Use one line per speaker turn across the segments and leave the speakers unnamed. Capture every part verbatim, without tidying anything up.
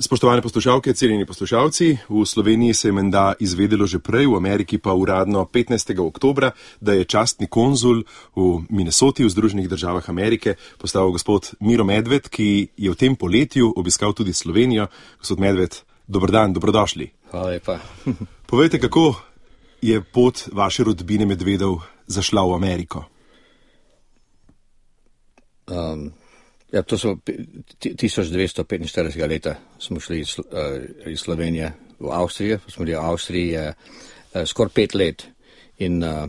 Spoštovane poslušalke, cenjeni poslušalci, v Sloveniji se je menda izvedelo že prej, v Ameriki pa uradno petnajstega oktobra, da je častni konzul v Minnesoti v Združenih državah Amerike postal gospod Miro Medved, ki je v tem poletju obiskal tudi Slovenijo. Gospod Medved, dober dan, dobrodošli.
Hvala lepa.
Povejte, kako je pot vaše rodbine Medvedov zašla v Ameriko?
Um, ja, to so tisoč devetsto petinštiridesetega leta smo šli iz, uh, iz Slovenije v Avstrijo. Smo bili v Avstriji uh, skoraj pet let in uh,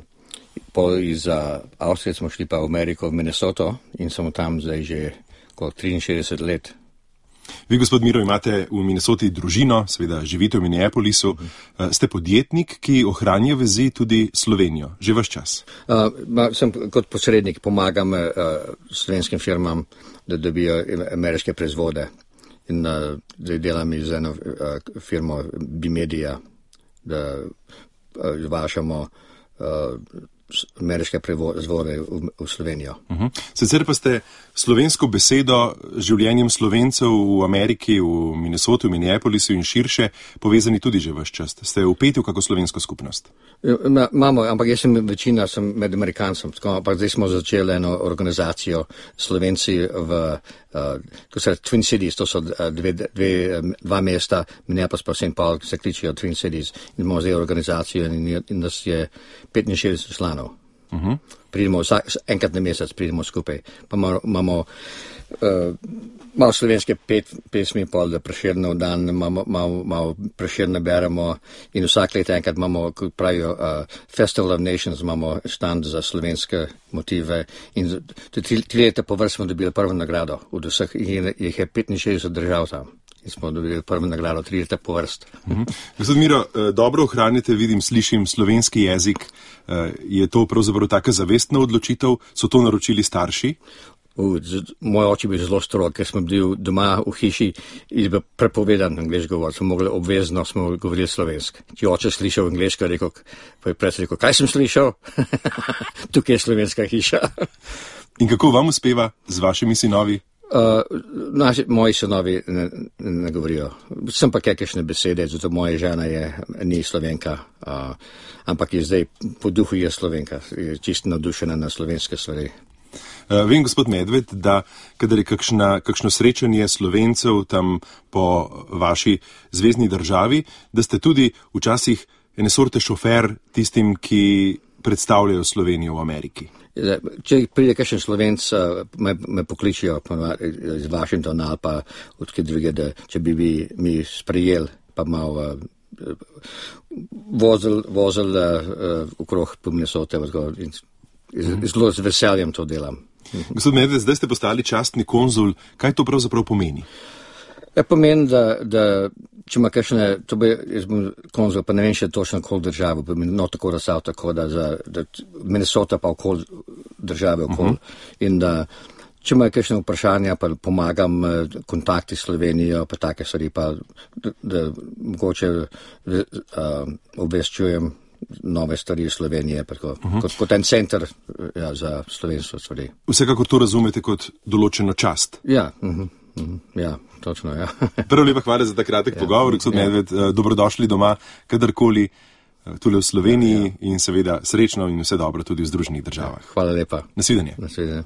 pol iz uh, Avstrije smo šli pa v Ameriko, v Minnesoto in smo tam zdaj že kot triinšestdeset let.
Vi, gospod Miro, imate v Minnesoti družino, seveda živite v Minneapolisu. Uh, ste podjetnik, ki ohranja vezi tudi Slovenijo, že vaš čas?
Uh, sem kot posrednik, pomagam uh, slovenskim firmam, da dobijo ameriške proizvode. In uh, zdaj delam z eno uh, firmo Bimedia, da uh, vašamo uh, ameriške proizvode v, v Slovenijo.
Uh-huh. Sicer pa ste slovensko besedo življenjem Slovencev v Ameriki, v Minnesoti, v Minneapolisu in širše povezani tudi že vaš čas. Ste vpeti v kako slovensko skupnost?
Imamo, ampak jaz sem večina sem med Amerikancem, ampak zdaj smo začeli eno organizacijo Slovenci v uh, to se Twin Cities, to so dve, dve, dva mesta, Minneapolis pa Saint Paul, se kličijo Twin Cities. In imamo zdaj organizacijo in, in nas je petinšestdeset članov. Uh-huh. Pridemo vsak, enkrat na mesec pridemo skupaj. Pa imamo uh, malo slovenske pet, pesmi, pol da Prešernov dan, malo, malo, malo Prešerne beremo in vsak let enkrat imamo, kot pravijo, uh, Festival of Nations, imamo štand za slovenske motive in tri, tri leta po vrst smo dobili prvo nagrado od vseh, jih je petinšestdeset držav tam. In smo dobili prvo nagrado tri leta po vrst.
Uh-huh. Gospod Miro, dobro ohranite, vidim, slišim slovenski jezik. Je to pravzaprav taka zavestna odločitev? So to naročili starši?
Uh, moj oče bi zelo strog, ker smo bili doma v hiši in bi prepovedan angleški govor. Smo mogli obvezno, smo govorili slovenski. Če oče slišal angleško, rekel, pa je pred rekel, kaj sem slišal? Tukaj je slovenska hiša.
In kako vam uspeva z vašimi sinovi?
Uh, naši, moji sinovi ne, ne govorijo. Sem pa kakšne besede, zato moja žena je, ni Slovenka, uh, ampak je zdaj po duhu je Slovenka, je čisto navdušena na slovenske stvari.
Uh, vem, gospod Medved, da kadar je kakšna, kakšno srečanje Slovencev tam po vaši zvezni državi, da ste tudi včasih ene sorte šofer tistim, ki predstavljajo Slovenijo v Ameriki.
Če pride kakšen Slovenc, me, me pokličijo iz Washingtona ali pa odkje druge, da če bi bi mi sprejeli, pa malo uh, vozil, vozil uh, okrog po Minnesote in zelo z veseljem to delam.
Gospod Medved, zdaj ste postali častni konzul. Kaj to pravzaprav pomeni?
Ja, pomeni, da, da če ima kakšne, to bi, jaz bom konzul, pa ne vem še točno okoli države, pa mi no tako razsal tako, da za, da Minnesota pa okoli države okoli. Uh-huh. In da, če ima kakšne vprašanja, pa pomagam kontakti s Slovenijo, pa take stvari, pa da, da mogoče uh, obveščujem nove stvari iz Slovenije, tako, uh-huh. kot, kot en center ja, za slovenstvo stvari.
Vsekakor to razumete kot določeno čast?
Ja, uh-huh. Uh-huh. Ja, točno, ja.
Prvo lepa hvala za ta kratek ja, pogovor, gospod ja. Medved, dobrodošli doma, kadarkoli, tule v Sloveniji ja, ja. In seveda srečno in vse dobro tudi v Združenih državah.
Ja, hvala lepa.
Nasvidenje.
Nasvidenje.